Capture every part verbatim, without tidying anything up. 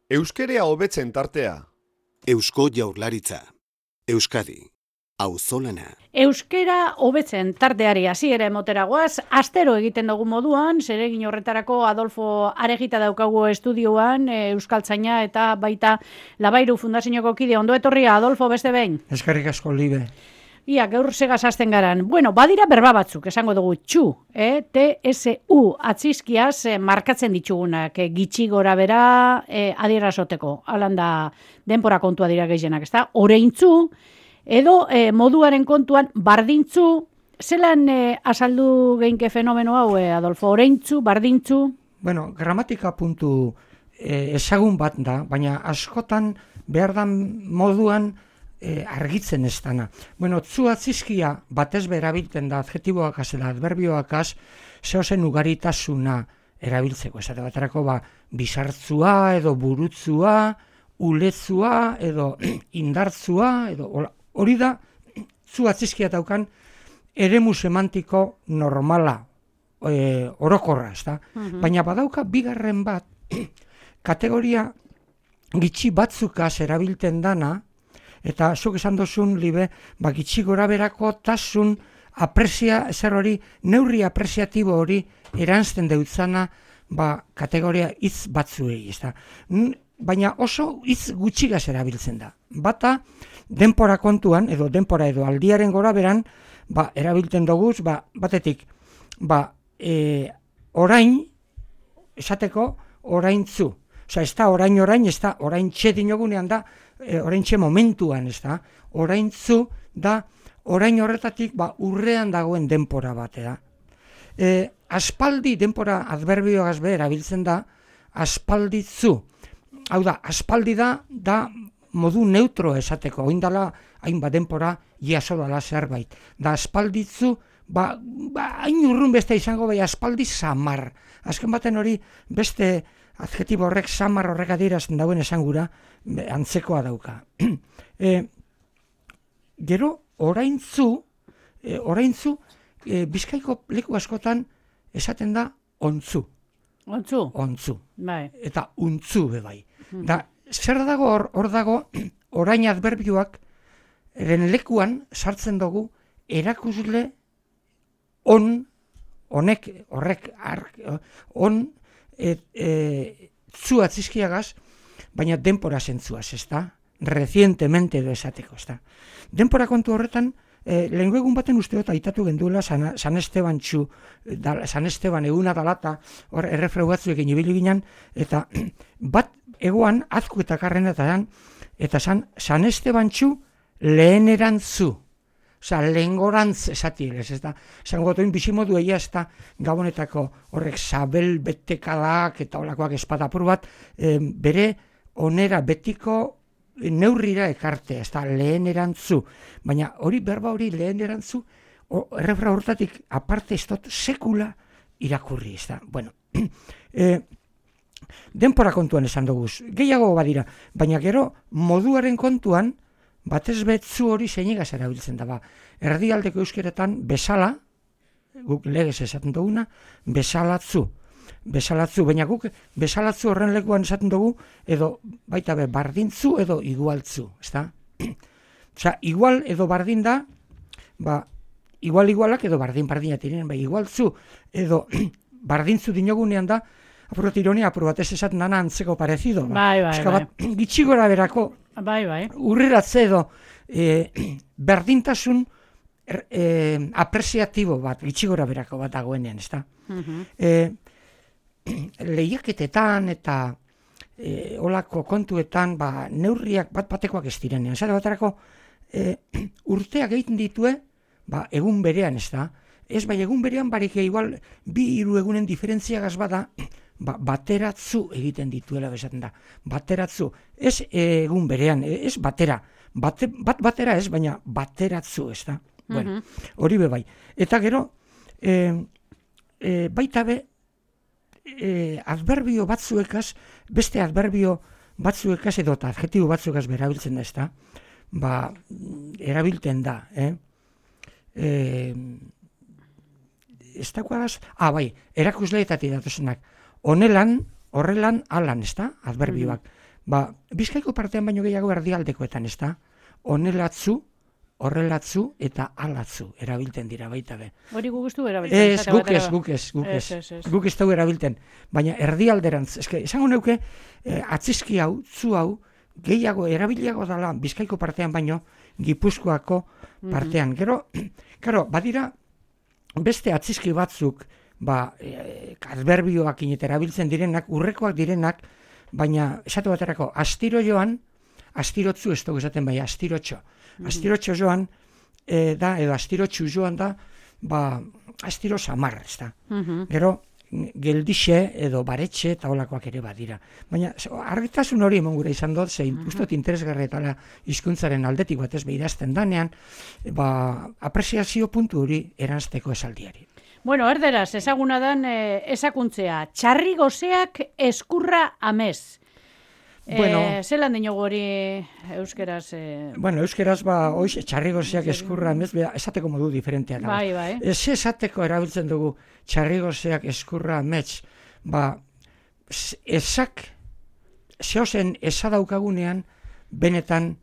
Euskerea hobetzen tartea. Eusko Jaurlaritza. Euskadi. Auzolana. Euskera hobetzen tarteari hasiera emotera goaz, astero egiten dugu moduan, zeregin horretarako Adolfo Aregita daukagu estudioan, e, Euskaltzaina eta baita Labairu Fundazioko kide. Ondo etorria, Adolfo, beste behin. Eskerrik asko, Libe. Ia, gaur segaz hasten garan. Bueno, badira berba batzuk, esango dugu txu, eh? T S U, atzizkiaz eh, markatzen ditugunak, eh, gitxi gora bera eh, adierazoteko. Halan da denpora kontua dira gehienak, ezta? Oreintzu, edo eh, moduaren kontuan bardintzu, zelan eh, azaldu geinke fenomeno hau, eh, Adolfo? Oreintzu, bardintzu? Bueno, gramatika puntu eh, ezagun bat da, baina askotan behar dan moduan eh, argitzen ez dana. Bueno, tzu atzizkia batez berabilten da adjetiboakaz eta adverbioakaz zehozen ugaritasuna erabiltzeko. Esate baterako ba, bizartzua edo burutzua, uletzua edo indartzua edo hori da tzu atzizkia daukan eremu semantiko normala, e, orokorra, ezta? Uh-huh. Baina badauka bigarren bat kategoria gitxi batzukaz erabilten dana, eta zuk esan dozun, Libe, ba, gitxi gora berako tasun aprezia, zer hori, neurri apreziatibo hori eranzten deutzana ba, kategoria hitz batzuei, ezta? Baina oso hitz gutxigaz erabiltzen da. Bata, denpora kontuan, edo denpora edo aldiaren gora beran, ba, erabiltzen doguz, ba, batetik, ba, e, orain, esateko, oraintzu. Osa, ez da orain-orain, ez da orain txe dinogunean da, e, orain txe momentuan, ez da, oraintzu da, orain horretatik, ba, urrean dagoen denpora batea. E, aspaldi denpora adverbioagaz be erabiltzen da, aspalditzu. Hau da, aspaldi da, da modu neutro esateko, oindala hainbat denpora jaso dala zerbait. Da aspalditzu, ba, ba, hain urrun beste izango bai aspaldi samar. Azken baten hori beste adjetibo horrek samar horrek adierazten dauen esangura antzekoa dauka. e, gero, oraintzu, e, oraintzu, e, Bizkaiko leku askotan esaten da ontzu. Ontzu? Ontzu. Bai. Eta untzu be bai. Da, zer dago hor, hor dago orain adverbioak eren lekuan sartzen dugu erakusle on, honek, horrek, ark, on, et, e, zu atzizkiagaz, baina denpora zentzuaz, ez da? Recientemente edo esateko, ez da? Denpora kontu horretan, e, lehenko egun baten usteot aitatu genduela San, San Esteban txu, da, San Esteban eguna dalata, hor errefrau batzuekin ibili ginen, eta bat egoan azku eta karrenetaren, eta san, San Esteban txu lehenerantzu. Osa, lehengorantz esatielez, ez da. Zango gotoin bizimodu egia ez da gabonetako horrek sabel betekadak eta olakoak espadapur bat, e, bere onera betiko neurrira ekarte, ez da, lehenerantzu. Baina hori berba hori lehenerantzu, errefra hortatik aparte ez dut sekula irakurri, ez da. Bueno, e, denpora kontuan esan dugu, gehiago badira, baina gero moduaren kontuan, batez betzu hori zeinegaz erabiltzen da, ba. Erdialdeko euskeretan bezala, guk legez esaten duguna, besalatzu. Besalatzu, baina guk besalatzu horren lekuan esaten dugu, edo baita be, bardintzu edo igualtzu, ezta? Osea, igual edo bardin da, ba, igual-igualak edo bardin-bardina tiren, ba, igualtzu edo bardintzu dinogunean da, apurrat ironia, apurrat ez esaten dana antzeko parezido. Ba. Bai, bai, Eska, bai. Gitxigora berako, bai, bai. urriratze edo e, berdintasun er, e, apreziatibo bat, gitxigora berako bat dagoenean, ez da? Uh-huh. E, lehiaketetan eta e, olako kontuetan ba, neurriak bat batekoak ez direnean. Zara baterako e, urteak egiten ditue ba, egun berean, ez da? Ez bai egun berean barik igual bi hiru egunen diferentziagaz bada, ba, bateratzu egiten dituela bezaten da. Bateratzu, ez egun berean, ez batera. Bate, bat batera ez, baina bateratzu, ez da. Uh-huh. Bueno, hori be bai. Eta gero, e, e, baita be, e, adverbio batzuekaz, beste adverbio batzuekaz edo eta adjetibo batzuekaz berabiltzen da, ez da. Ba, erabilten da, eh? E, ez dagoaz, ah, bai, erakusleetatik datozenak, honelan, horrelan, alan, ez da, adverbioak. ba, Bizkaiko partean baino gehiago erdialdekoetan, ez da? Honelatzu, horrelatzu eta alatzu erabilten dira baita be. Hori guk ez du erabiltzen. Ez, guk ez, guk ez, guk ez. Guk ez dugu erabilten. Baina erdialderantz, eske, esango neuke, eh, atzizki hau, zu hau, gehiago, erabiliago dela Bizkaiko partean baino, Gipuzkoako partean. Mm-hmm. Gero, karo, badira, beste atzizki batzuk, ba, eh, adverbioak inet erabiltzen direnak, urrekoak direnak, baina, esatu baterako, astiro joan, astirotzu ez dugu esaten bai, astirotxo. Mm-hmm. Astirotxo joan, e, da, edo astirotxu joan da, ba, astiro samar, ez da. Mm-hmm. Gero, geldixe edo baretxe eta holakoak ere badira. Baina, argitasun hori emon gure izan dut, zein, mm-hmm. ustot interesgarri eta hizkuntzaren aldetik bat ez behidazten danean, ba, apreziazio puntu hori eranzteko esaldiari. Bueno, erderaz, ezaguna dan eh, esakuntzea, txarri gozeak eskurra amez. Bueno, eh, zelan dinogu hori euskeraz? Eh... Bueno, euskeraz, ba, oiz, txarrigozeak eskurra amez, esateko modu diferentea da. Bai, bai. Ez esateko erabiltzen dugu txarrigozeak eskurra amez, ba, esak, zehozen esadaukagunean, benetan,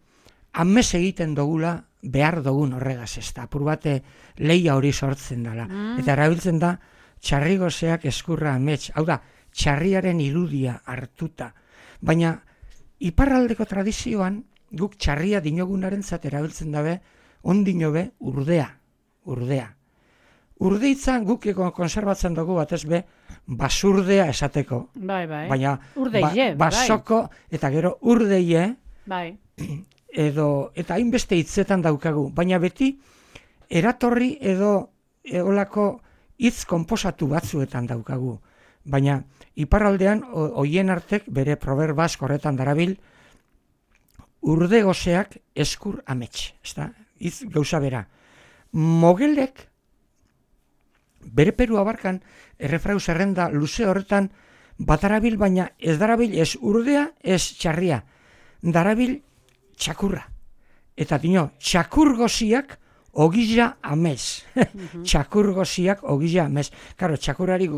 amez egiten dugula, behar dugun horregaz ez da, apur bate leia hori sortzen dela. Mm. Eta erabiltzen da, txarrigozeak eskurra amets, hau da, txarriaren irudia hartuta. Baina, iparraldeko tradizioan, guk txarria dinogunaren zat erabiltzen dabe, ondino be, urdea, urdea. Urdeitzan guk konserbatzen dugu batez be, basurdea esateko. Bai, bai. Baina, urdeie, ba, basoko, bai. Eta gero urdeie, bai. Edo, eta hainbeste hitzetan daukagu, baina beti eratorri edo eolako hitz konposatu batzuetan daukagu. Baina iparraldean hoien artek bere proverbaz horretan darabil urde gozeak eskur amets, ezta? Hitz gauza bera. Mogelek bere Peru abarkan errefrau zerrenda luze horretan batarabil, baina ez darabil ez urdea, ez txarria. Darabil txakurra. Eta dino, txakurgoziak ogila amez. Mm-hmm. Txakurgoziak ogila amez. Karo, txakurari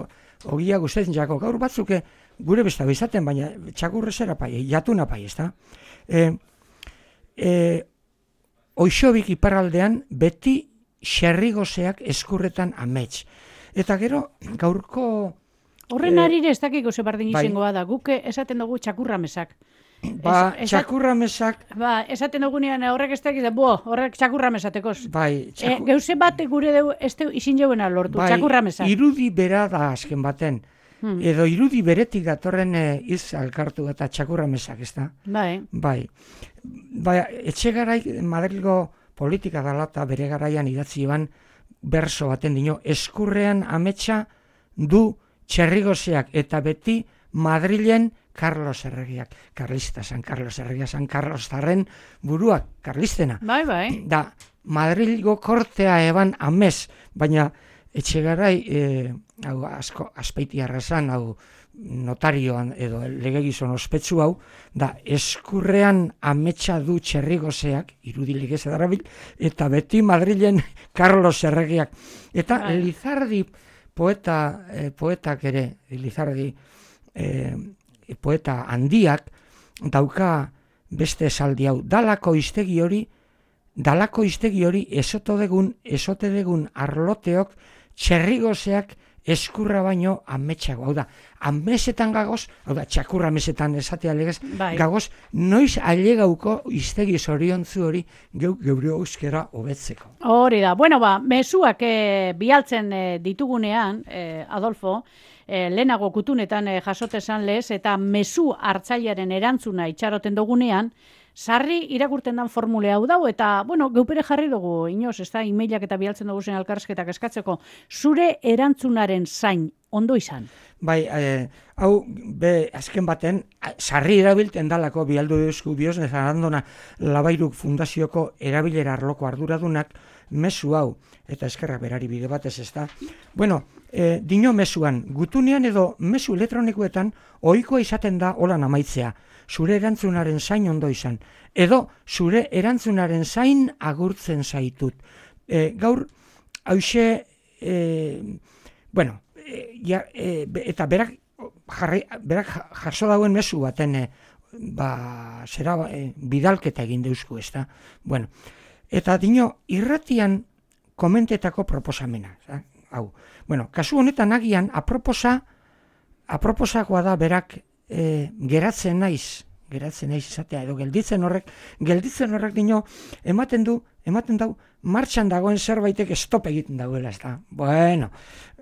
ogia gustetzen jako. Gaur batzuke gure besta bizaten, baina txakurrezera pai, jatuna pai, ez da? E, e, Oixobik iparraldean beti xerrigozeak eskurretan amets. Eta gero, gaurko... Horren e, arire ez dakiko zebardin izangoa da. Guke esaten dugu txakurra mesak. Ba, es, txakurra mesak... Ba, esaten dugunean horrek ez dakiz, bo, horrek txakurra mesatekoz. Bai, txakur... e, Geuze bat gure deu, ez deu izin jauena lortu, bai, txakurra mesak. Irudi bera da azken baten. Hmm. Edo irudi beretik datorren iz alkartu eta txakurra mesak, ez da? Bai. Bai. Bai, etxe garai Madrilgo politika dela eta bere garaian idatzi eban berso baten dino, eskurrean ametsa du txerrigozeak eta beti Madrilen Carlos Erregiak, Carlista, San Carlos Erregia, San Carlos Zarren buruak, Carlistena. Bai, bai. Da, Madrilgo kortea eban amez, baina etxegarai, e, hau, asko, aspeiti arrazan, hau, notarioan edo legegizon ospetsu hau, da, eskurrean ametsa du txerrigozeak, irudilik ez edarabil, eta beti Madrilen Carlos Erregiak. Eta bai. Lizardi poeta, eh, poetak ere, Lizardi, eh, poeta handiak dauka beste esaldi hau, dalako iztegi hori, dalako iztegi hori esotodegun, esotedegun arloteok txerrigozeak eskurra baino ametsago. Hau da, amesetan gagoz, hau da, txakurra amesetan esatea legez, bai. Gagoz, noiz ailegauko iztegi zoriontzu hori geuk geure euskera hobetzeko. Hori da, bueno ba, mezuak eh, bialtzen eh, ditugunean, eh, Adolfo, E, lehenago kutunetan e, jasotezan lez, eta mezu hartzailearen erantzuna itxaroten dugunean, sarri irakurten dan formule hau dau, eta, bueno, geupere jarri dugu, inoz, ez da, emailak eta bialtzen dugu zen elkarrizketak eskatzeko, zure erantzunaren zain, ondo izan? Bai, eh, hau, be, azken baten, sarri erabilten dalako, bialdu duzku bioz, nezarandona Labairuk Fundazioko erabilera arloko arduradunak, mezu hau, eta eskerrak berari bide batez ez da. Bueno, e, dino mezuan, gutunean edo mezu elektronikoetan ohikoa izaten da holan amaitzea. Zure erantzunaren zain ondo izan. Edo zure erantzunaren zain agurtzen zaitut. E, gaur, hause, e, bueno, e, ja, e, eta berak, jarri, berak jaso dauen mezu baten, e, ba, zera, e, bidalketa egin deusku, ez da? Bueno, eta dino, irratian komentetako proposamena, za? Hau. Bueno, kasu honetan agian, aproposa, aproposakoa da berak e, geratzen naiz, geratzen naiz izatea, edo gelditzen horrek, gelditzen horrek dino, ematen du, ematen dau, martxan dagoen zerbaitek stop egiten dauela, ez da? Bueno,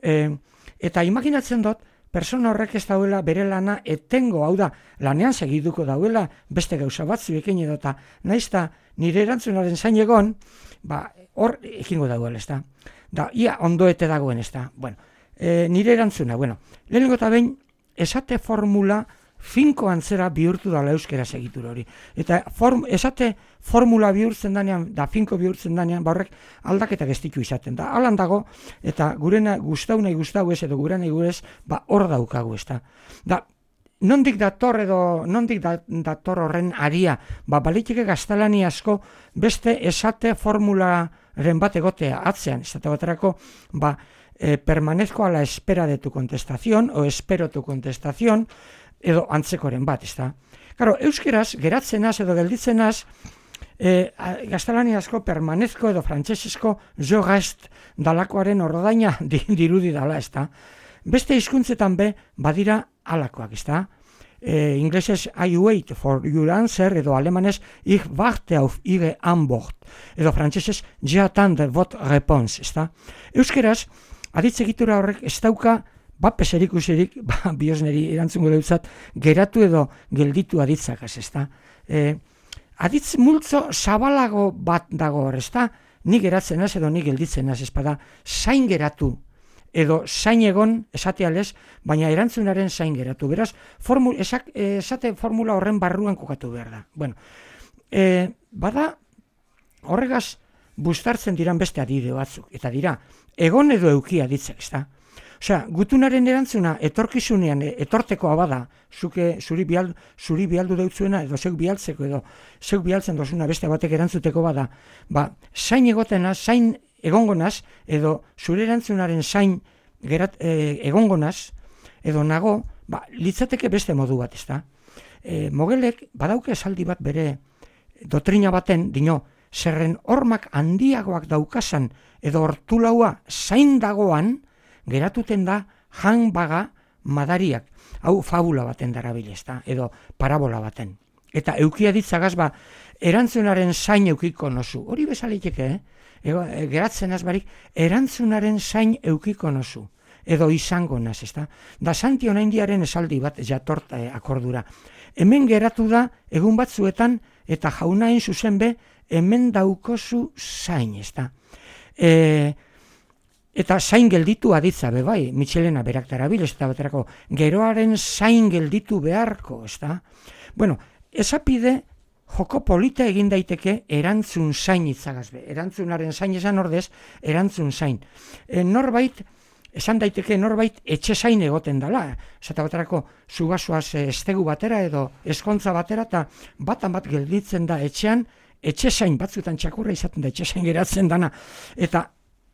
e, eta imaginatzen dut, persona horrek ez dauela bere lana etengo, hau da, lanean segiduko dauela, beste gauza batzuekin edo, eta naiz da nire erantzunaren zain egon, ba, hor ekingo dauela, ez da? Da, ia ondoete dagoen, ez da? Bueno, e, nire erantzuna, bueno, lehenengo eta behin, esate formula finko antzera bihurtu dala euskera segitur hori. Eta form, esate formula bihurtzen danean, da finko bihurtzen danean, ba horrek aldaketak ez ditu izaten da. Alan dago, eta gurena gustau nahi gustau ez, edo gure nahi gurez, ba hor daukagu, ez da. Da, nondik dator edo, nondik da, dator horren aria, ba baliteke gaztelani asko beste esate formularen bat egotea atzean, ez da baterako, ba, eh, permanezko a la espera de tu contestación, o espero tu contestación, edo antzekoren bat, ez da. Claro, euskeraz, geratzenaz edo gelditzenaz, eh, gaztelani asko permanezko edo frantsesezko jo gast dalakoaren ordaina dirudi dala, ez da. Beste hizkuntzetan be, badira alakoak, ez da. Eh, inglesez, I wait for your answer, edo alemanez, ich warte auf ihre Antwort, edo frantsesez, j'attends votre réponse, ez da. Euskeraz, aditzegitura horrek ez dauka, ba, peserik userik, ba, biosneri erantzungo deutzat, geratu edo gelditu aditzakaz, ez da. E, aditz multzo zabalago bat dago hor, ez da, ni geratzen az edo ni gelditzen az, ez bada, zain geratu, edo zain egon, esatealez, baina erantzunaren zain geratu. Beraz, formu, esak, esate formula horren barruan kokatu behar da. Bueno, e, bada, horregaz, bustartzen diran beste adide batzuk, eta dira, egon edo euki aditzak, ez da. Osea, gutunaren erantzuna etorkizunean etortekoa bada, zuke zuri, bial, zuri bialdu deutzuena edo zeuk bialtzeko edo zeuk bialtzen dozuna beste batek erantzuteko bada, ba, zain egotenaz, zain egongonaz edo zure erantzunaren zain gerat, e, egongonaz edo nago, ba, litzateke beste modu bat, ez da. E, Mogelek badauke esaldi bat bere dotrina baten, dino, zerren hormak handiagoak daukasan edo hortulaua zain dagoan, geratuten da jan baga madariak. Hau fabula baten darabilez da, edo parabola baten. Eta eukia ditzagaz ba, erantzunaren zain eukiko nozu. Hori bezaliteke, eh? Ego, geratzen azbarik, erantzunaren zain eukiko nozu. Edo izango naz, ez da? Da Santi Onaindiaren esaldi bat jatort eh, akordura. Hemen geratu da, egun batzuetan, eta jaunain zuzen be, hemen daukozu zain, ez da? E, Eta zain gelditu aditza, be bai, Michelena berak darabil, ez da baterako, geroaren zain gelditu beharko, ez da? Bueno, esapide joko polita egin daiteke erantzun zain itzagazbe. Erantzunaren zain esan ordez, erantzun zain. E, norbait, esan daiteke norbait etxe zain egoten dela. Ez da baterako, zugazoaz estegu batera edo eskontza batera, eta batan bat gelditzen da etxean, etxe zain batzutan txakurra izaten da, etxe zain geratzen dana. Eta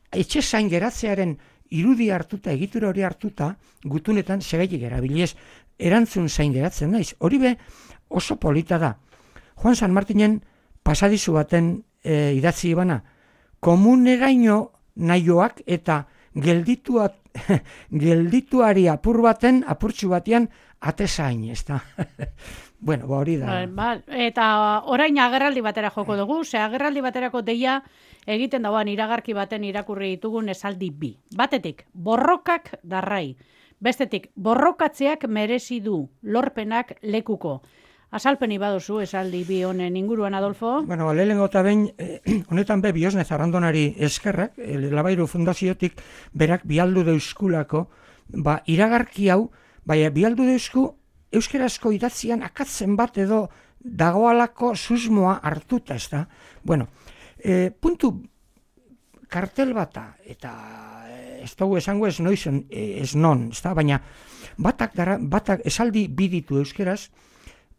etxe zain geratzearen irudi hartuta, egitura hori hartuta, gutunetan segaitik erabiliez, erantzun zain geratzen naiz. Hori be oso polita da. Juan San Martinen pasadizu baten e, idatzi ibana, komuneraino nahioak eta gelditua, geldituari apur baten, apurtxu batean, atezain, ez da. Bueno, ba hori da. Ba, eta orain agerraldi batera joko dugu, ze agerraldi baterako deia egiten dauan iragarki baten irakurri ditugun esaldi bi. Batetik, borrokak darrai. Bestetik, borrokatzeak merezi du, lorpenak lekuko. Azalpeni baduzu esaldi bi honen inguruan, Adolfo? Bueno, lehenengo eta behin, eh, honetan be, Biosne Zarrandonari eskerrak, eh, Labairu Fundaziotik berak bialdu deuskulako, ba, iragarki hau, baina bialdu deusku, euskerazko idatzian akatzen bat edo dagoalako susmoa hartuta, ez da? Bueno, e, puntu kartel bata, eta ez dugu esango ez noizen, ez non, ez da? Baina batak, dara, batak esaldi biditu euskeraz,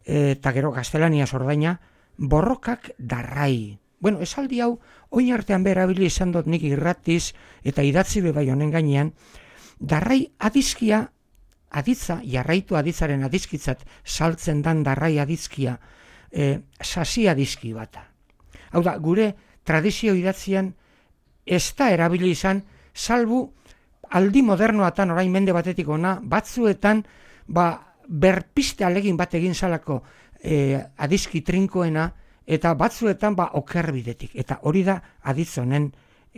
eta gero gaztelaniaz ordaina, borrokak darrai. Bueno, esaldi hau, oin artean berabili izan dut nik irratiz, eta idatzi be bai honen gainean, darrai adizkia aditza, jarraitu aditzaren adizkitzat saltzen dan darrai adizkia, e, sasi adizki bata. Hau da, gure tradizio idatzian ez da erabili izan, salbu aldi modernoatan orain mende batetik ona, batzuetan ba, berpiste alegin bat egin salako e, adizki trinkoena, eta batzuetan ba, okerbidetik. Eta hori da aditzonen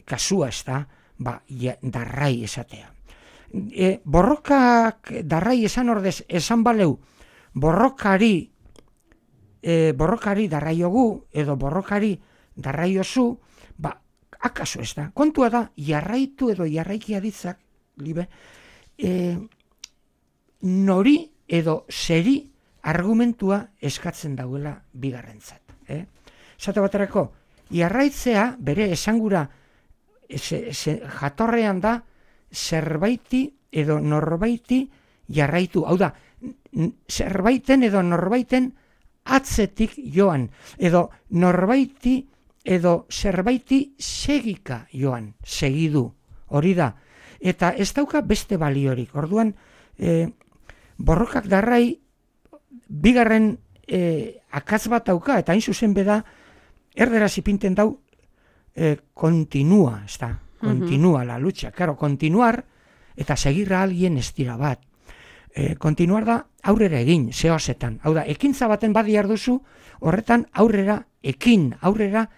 kasua ez da, ba, ja, darrai esatea. E, borrokak darrai esan ordez, esan baleu, borrokari, e, borrokari darraiogu, edo borrokari darraiozu, ba, akaso ez da. Kontua da, jarraitu edo jarraiki aditzak, libe, e, nori edo zeri argumentua eskatzen dauela bigarrentzat. Eh? Zate baterako, jarraitzea bere esangura ze, ze, jatorrean da zerbaiti edo norbaiti jarraitu. Hau da, zerbaiten edo norbaiten atzetik joan, edo norbaiti edo zerbaiti segika joan, segidu, hori da. Eta ez dauka beste baliorik. Orduan, e, borrokak darrai bigarren e, akatz bat dauka, eta hain zuzen beda, erderaz ipinten dau, e, kontinua, ez da, kontinua la lucha, claro, continuar, eta segirra alguien ez dira bat. E, kontinuar da aurrera egin, zehozetan. Hau da, ekintza baten badi duzu, horretan aurrera ekin, aurrera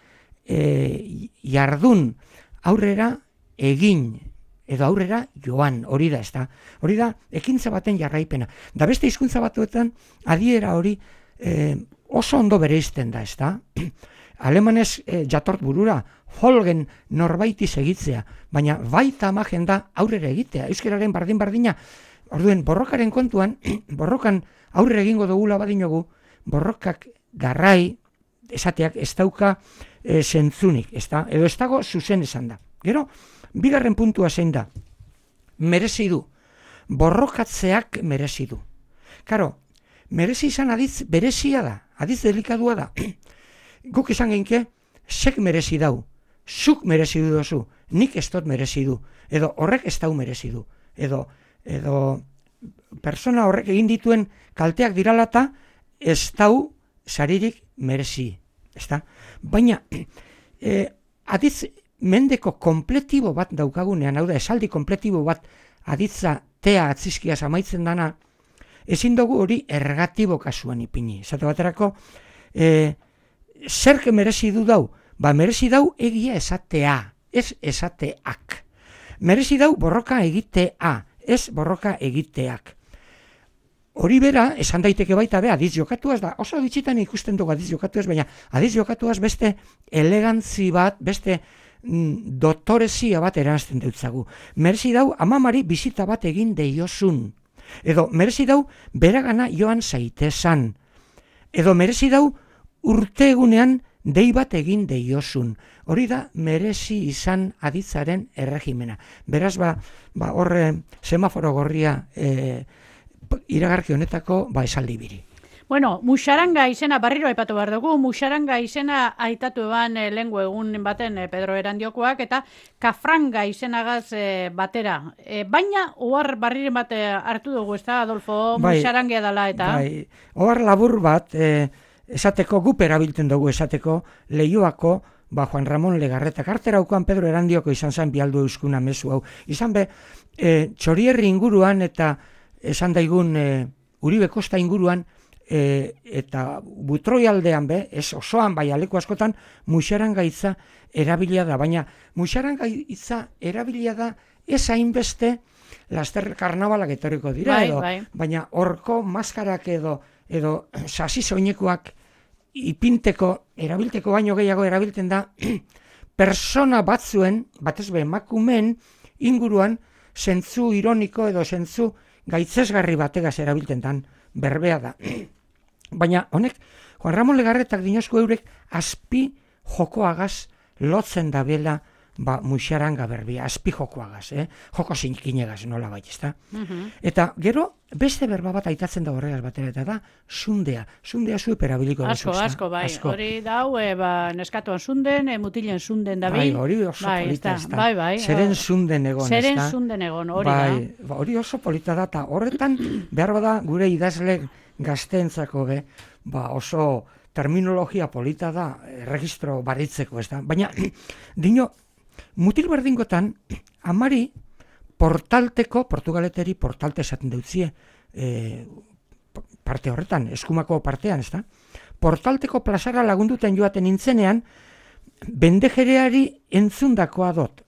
e, jardun, aurrera egin, edo aurrera joan, hori da, ez da. Hori da, ekintza baten jarraipena. Da beste hizkuntza batuetan, adiera hori e, oso ondo bereizten da, ez da. Alemanez e, jatort burura, folgen norbaiti segitzea, baina baita amagen da aurrera egitea, euskararen bardin-bardina. Orduen, borrokaren kontuan, borrokan aurrera egingo dugula badinogu, borrokak garrai, esateak ez dauka e, zentzunik, ez da, edo ez dago zuzen esan da. Gero, bigarren puntua zein da, merezi du, borrokatzeak merezi du. Karo, merezi izan aditz berezia da, aditz delikadua da. Guk izan genke, sek merezi dau, zuk merezi du dozu, nik ez dut merezi du, edo horrek ez dau merezi du, edo, edo persona horrek egin dituen kalteak diralata, ez dau saririk merezi, ez da? Baina, e, aditz mendeko kompletibo bat daukagunean, hau da, esaldi kompletibo bat aditza tea atzizkiaz amaitzen dana, ezin dugu hori ergatibo kasuan ipini. Esate baterako, e, zerke merezi du dau? Ba, merezi dau egia esatea, ez esateak. Merezi dau borroka egitea, ez borroka egiteak. Hori bera, esan daiteke baita be, adiz jokatuaz da, oso ditzitan ikusten dugu adiz jokatuaz, baina adiz jokatuaz beste elegantzi bat, beste mm, dotorezia bat eranzten deutzagu. Merezi dau amamari bizita bat egin deiozun. Edo merezi dau beragana joan zaitezan. Edo merezi dau urte egunean dei bat egin deiozun. Hori da merezi izan aditzaren erregimena. Beraz, ba, ba horre semaforo gorria e, iragarki honetako ba esaldi biri. Bueno, Muxaranga izena barriro aipatu behar dugu, Muxaranga izena aitatu eban e, lehengo egun baten e, Pedro Erandiokoak, eta Kafranga izenagaz e, batera. E, baina, ohar barriren bat e, hartu dugu, ez da, Adolfo, bai, Muxarangea dela, eta... Bai, ohar labur bat, e, esateko gup erabiltzen dugu, esateko Leioako, ba, Juan Ramon Legarretak, arteraukoan Pedro Erandioko izan zen bialdu euskuna mezu hau. Izan be, e, Txorierri inguruan eta esan daigun e, Uribe Kosta inguruan, e, eta Butroi aldean be, ez osoan bai aleko askotan, Muxaranga hitza erabilia da, baina Muxaranga hitza erabilia da ez hainbeste laster karnabalak etorriko dira, bai, edo, bai. Baina horko maskarak edo edo sasi soinekoak ipinteko, erabilteko baino gehiago erabiltzen da, persona batzuen, batez be emakumeen inguruan, zentzu ironiko edo zentzu gaitzesgarri bategaz erabiltzen dan, berbea da. Baina honek, Juan Ramon Legarretak dinozko eurek azpi jokoagaz lotzen dabela ba, muixaranga berbia, azpijokoagaz, eh? Joko zinkinegaz nola bai, ezta? Mhm. Eta gero, beste berba bat aitatzen da horregaz batera, eta da, sundea. Sundea zuep erabiliko duzu, Asko, ezta? asko, bai. Hori dau, e, ba, neskatuan zunden, e, mutilen zunden da Bai, hori oso bai, polita, ezta. ezta? Bai, bai. Zeren zunden egon, ezta? Zeren zunden egon, hori bai, da. ba, hori oso polita da, eta horretan, behar bada gure idazle gazteentzako, be, ba, oso terminologia polita da, eh, registro baritzeko, ezta? Baina, dino, mutil berdingotan, amari, portalteko, portugaleteri portalte esaten deutzie, e, parte horretan, eskumako partean, ezta? Portalteko plazara lagunduten joaten nintzenean, bendejereari entzundakoa dot.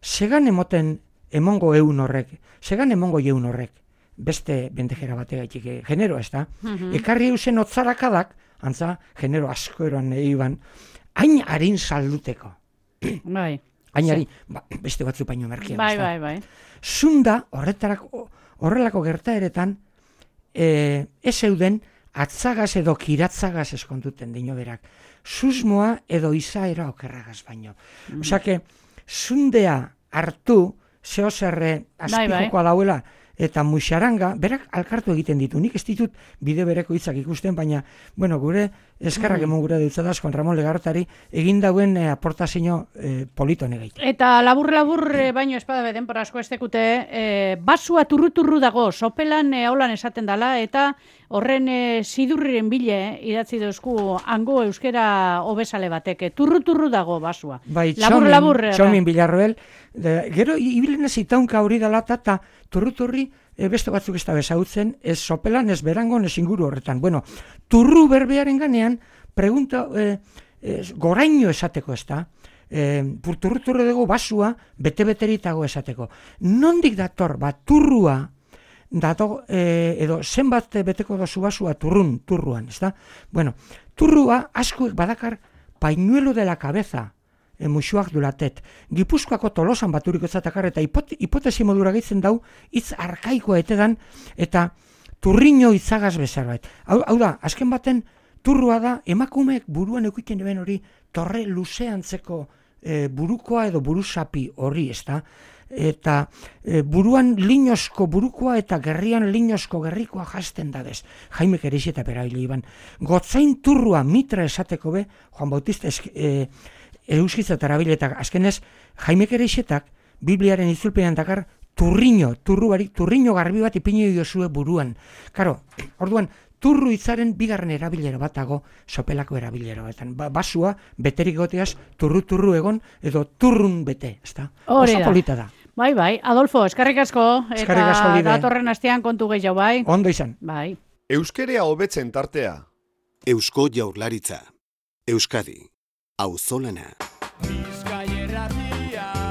Segan emoten emongo eun horrek, segan emongo eun horrek, beste bendejera bategaitik, genero, ezta? Mhm. Ekarri eusen otzarakadak, antza, genero asko eroan eiban, hain harin salduteko. Bai. Hainari, ba, beste batzu baino merkean. Bai, bai, bai. Zunda, horretarako, horrelako gertaeretan, e, ez euden atzagaz edo kiratzagaz eskontuten dino berak. Susmoa edo izaera okerragaz baino. Mm. Osake, zundea hartu, zeozerre azpijokoa dauela, eta muixaranga, berak alkartu egiten ditu. Nik ez ditut bide bereko hitzak ikusten, baina, bueno, gure eskarrak mm. emon gure dutzadaz, Juan Ramon Legartari, egin dauen eh, aportazio eh, polito negeit. Eta labur-labur, eh, baino espada denpora asko estekute, eh, basua turru-turru dago, sopelan eh, aulan esaten dala, eta horren eh, sidurriren bile eh, idatzi dozku hango euskera hobesale batek. Turru-turru dago basua. Bai, labur-labur. Txomin, Txomin Bilarroel, de, gero ibilen ez itaunka hori dalata, eta turru-turri e, beste batzuk ez da bezautzen, ez sopelan, ez berangon, ez inguru horretan. Bueno, turru berbearen ganean, pregunta, e, e, goraino esateko ez da, e, turru-turru dugu basua, bete-beteritago esateko. Nondik dator, ba, turrua, dato, e, edo zenbat beteko dozu basua turrun, turruan, ez da? Bueno, turrua asko badakar painuelo de la cabeza, e, musuak dulatet. Gipuzkoako Tolosan baturiko zatakar, eta hipot, hipotesi modura gehitzen dau, hitz arkaikoa etedan, eta turriño itzagaz bezarbait. Hau, hau da, azken baten, turrua da, emakumeek buruan eukiten eben hori, torre luzeantzeko e, burukoa edo burusapi hori, ez da? Eta e, buruan linosko burukoa eta gerrian linosko gerrikoa jasten da bez. Jaime Kerexeta perabili iban. Gotzain turrua mitra esateko be, Juan Bautista esk, e, euskitza tarabile, eta azkenez, Jaime Kerexetak, Bibliaren itzulpean dakar, turriño, turru barik, turriño garbi bat ipinio diozue buruan. Karo, orduan, turru hitzaren bigarren erabilera batago sopelako erabilera batean. Ba, basua, beterik goteaz, turru-turru egon, edo turrun bete, ezta? Oso polita da. Bai, bai. Adolfo, eskarrik asko, eskarrik asko eta lide. datorren astean kontu gehiago, bai? Ondo izan. Bai. Euskerea hobetzen tartea. Eusko Jaurlaritza. Euskadi. Auzolana. Bizkaia irratia.